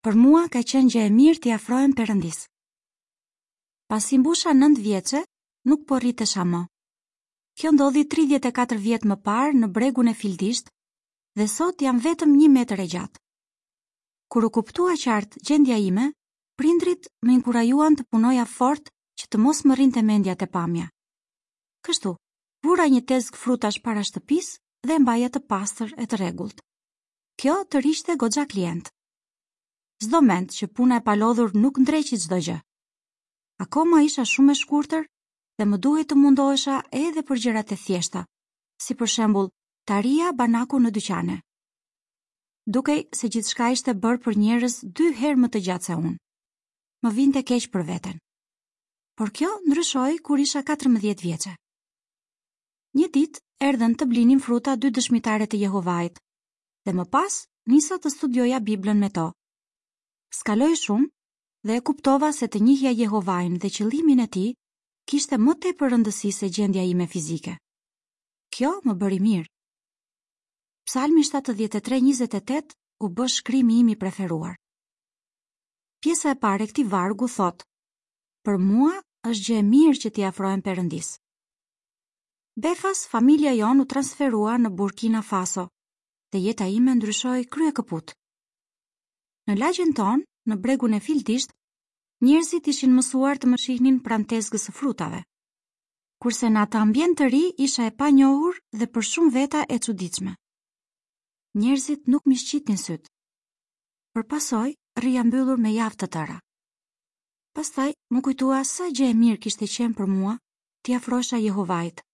Për mua ka qenë gjë e mirë t'i afrohem Perëndisë. Pasi mbusha 9 vjeçe, nuk po rritesha më. Kjo ndodhi 34 vjet më parë në bregun e Fildishtë dhe sot jam vetëm një metër e gjatë. Kur u kuptua qartë gjendja ime, prindërit më inkurajuan të punoja fort që të mos më rrinte mendja te pamja. Kështu, vura një tezgë frutash para shtëpisë dhe e mbaja të pastër e të rregullt. Kjo tërhiqte goxha klientë. S'do mend që puna e palodhur nuk ndreqi çdo gjë. Akoma isha shumë e shkurtër dhe më duhej të mundohesha edhe për gjërat e thjeshta, si për shembull ta arrija banakun në dyqane. Dukej se gjithçka ishte bërë për njerëz dy herë më të gjatë se unë. Më vinte keq për veten. Por kjo ndryshoi kur isha 14 vjeçe. Një ditë erdhën të blinin fruta dy dëshmitare të Jehovait dhe më pas nisa të studioja Biblën me to. S'kaloi shumë dhe e kuptova se të njihja Jehovain dhe qëllimin e tij kishte më tepër rëndësi se gjendja ime fizike. Kjo më bëri mirë. Psalmi 73:28 u bë shkrimi im i preferuar. Pjesa e parë e këtij vargu thotë: Për mua është gjë e mirë që t'i afrohem Perëndisë. Befas familja jonë u transferua në Burkina Faso dhe jeta ime ndryshoi kryekëput. Në lagjen tonë, në bregun e Fildishtë, njerëzit ishin mësuar të më shihnin pranë tezgës së frutave. Kurse në atë ambient të ri isha e panjohur dhe për shumë veta e çuditshme. Njerëzit nuk m'i shqitnin sytë. Për pasojë, rrija mbyllur me javë të tëra. Pastaj, m'u kujtua sa gjë e mirë kishte qenë për mua t'i afrohesha Jehovait.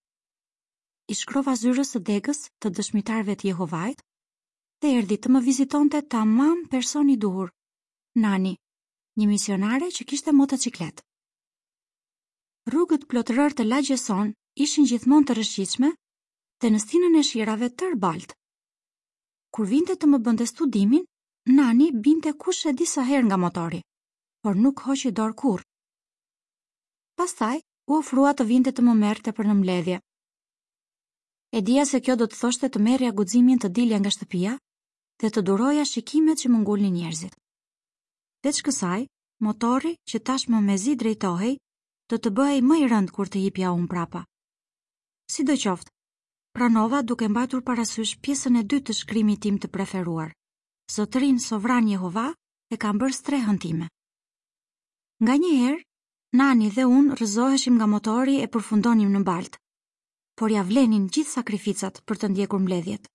I shkrova zyrës së degës të dëshmitarëve të Jehovait dhe erdhi të më vizitonte tamam personi i duhur, Nani, një misionare që kishte motoçikletë. Rrugët plot rërë të lagjes sonë ishin gjithmonë të rrëshqitshme dhe në stinën e shirave tërë baltë. Kur vinte të më bënte studimin, Nani binte kush e di sa herë nga motori, por nuk hoqi dorë kurrë. Pastaj, u ofrua të vinte të më merrte për në mbledhje. E dija se kjo do të thoshte të merrja guximin të dilja nga shtëpia dhe të duroja shikimet që më ngulnin njerëzit. Veç kësaj, motori, që tashmë mezi drejtohej, do të bëhej më i rëndë kur të hipja unë prapa. Sidoqoftë, pranova duke mbajtur parasysh pjesën e dytë të shkrimit tim të preferuar. Zotërinë sovran Jehova e kam bërë strehën time. Nganjëherë, Nani dhe unë rrëzoheshim nga motori e përfundonim në baltë, por ia vlenin gjithë sakrificat për të ndjekur mbledhjet.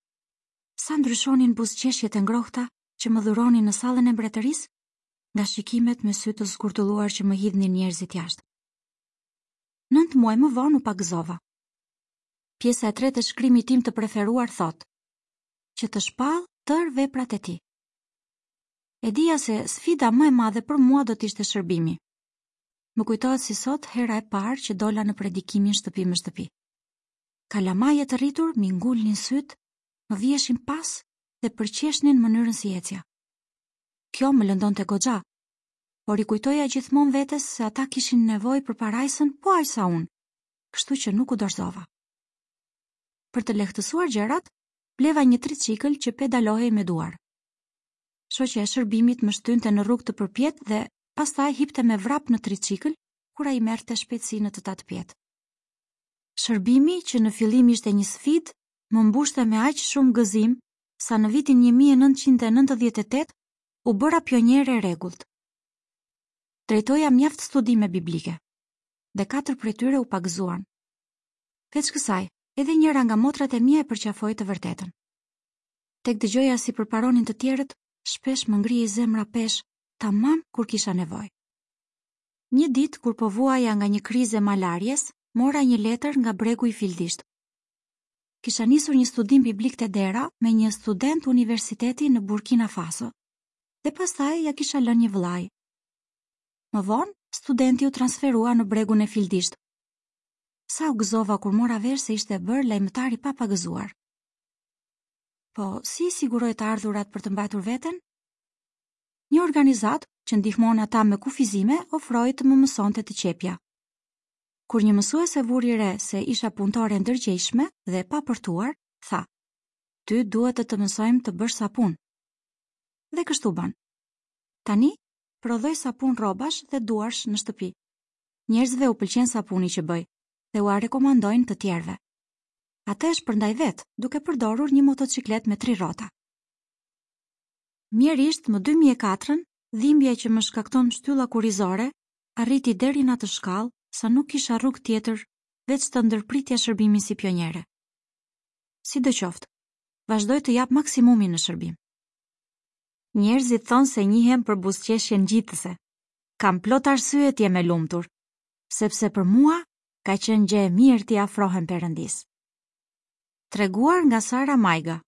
Sa ndryshonin buzëqeshjet e ngrohta që më dhuronin në sallën e mbretërisë, nga shikimet me sy të zgurdulluar që më hidhnin njerëzit jashtë. Nëntë muaj më vonë u pagëzova. Pjesa e tretë e shkrimit tim të preferuar thotë, që të shpall tërë veprat e tij. E dija se sfida më e madhe për mua do të ishte shërbimi. Më kujtohet si sot hera e parë që dola në predikimin shtëpi më shtëpi. Kalamaj e të rritur m'i ngulnin sytë, më viheshin pas dhe përqeshnin mënyrën si ecja. Kjo më lëndonte goxha, por i kujtoja gjithmonë vetes se ata kishin nevojë për parajsën po aq sa unë, kështu që nuk u dorëzova. Për të lehtësuar gjërat, bleva një triçikël që pedalohej me duar. Shoqja e shërbimit më shtynte në rrugë të përpjetë dhe pastaj hipte me vrap në triçikël kur ai merrte shpejtësi në të tatëpjetë. Shërbimi, që në fillim ishte një sfidë, më mbushte me aq shumë gëzim sa në vitin 1998 u bëra pioniere e rregullt. Drejtoja mjaft studime biblike dhe katër prej tyre u pagëzuan. Veç kësaj, edhe njëra nga motrat e mia e përqafoi të vërtetën. Tek dëgjoja si përparonin të tjerët, shpesh më ngrihej zemra peshë, tamam kur kisha nevojë. Një ditë kur po vuaja nga një krizë e malarjes, mora një letër nga bregu i Fildishtë. Kisha nisur një studim biblik te dera me një student universiteti në Burkina Faso dhe pastaj ia kisha lënë një vëllai. Më vonë, studenti u transferua në bregun e Fildishtë. Sa u gëzova kur mora vesh se ishte bërë lajmëtar i papagëzuar. Po, si i siguroi të ardhurat për të mbajtur veten? Një organizatë që ndihmon ata me kufizime ofroi të më mësonte të qepja. Kur një mësuese vuri re se isha punëtore e ndërgjegjshme dhe e papërtuar, tha: "Ty duhet të të mësojmë të bësh sapun." Dhe kështu bënë. Tani, prodhoj sapun rrobash dhe duarsh në shtëpi. Njerëzve u pëlqen sapuni që bëj dhe ua rekomandojnë të tjerëve. Atë e shpërndaj vetë, duke përdorur një motoçikletë me tri rrota. Mjerisht, më 2004-ën, dhimbja që më shkakton shtylla kurrizore arriti deri në atë shkallë sa nuk kisha rrugë tjetër veç të ndërpritja shërbimin si pioniere. Sidoqoftë, vazhdoj të jap maksimumin në shërbim. Njerëzit thonë se njihem për buzëqeshje ngjitëse. Kam plot arsye të jem e lumtur, sepse për mua ka qenë gjë e mirë t'i afrohem Perëndisë. Treguar nga Sara Majga.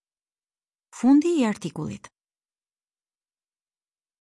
Fundi i artikullit.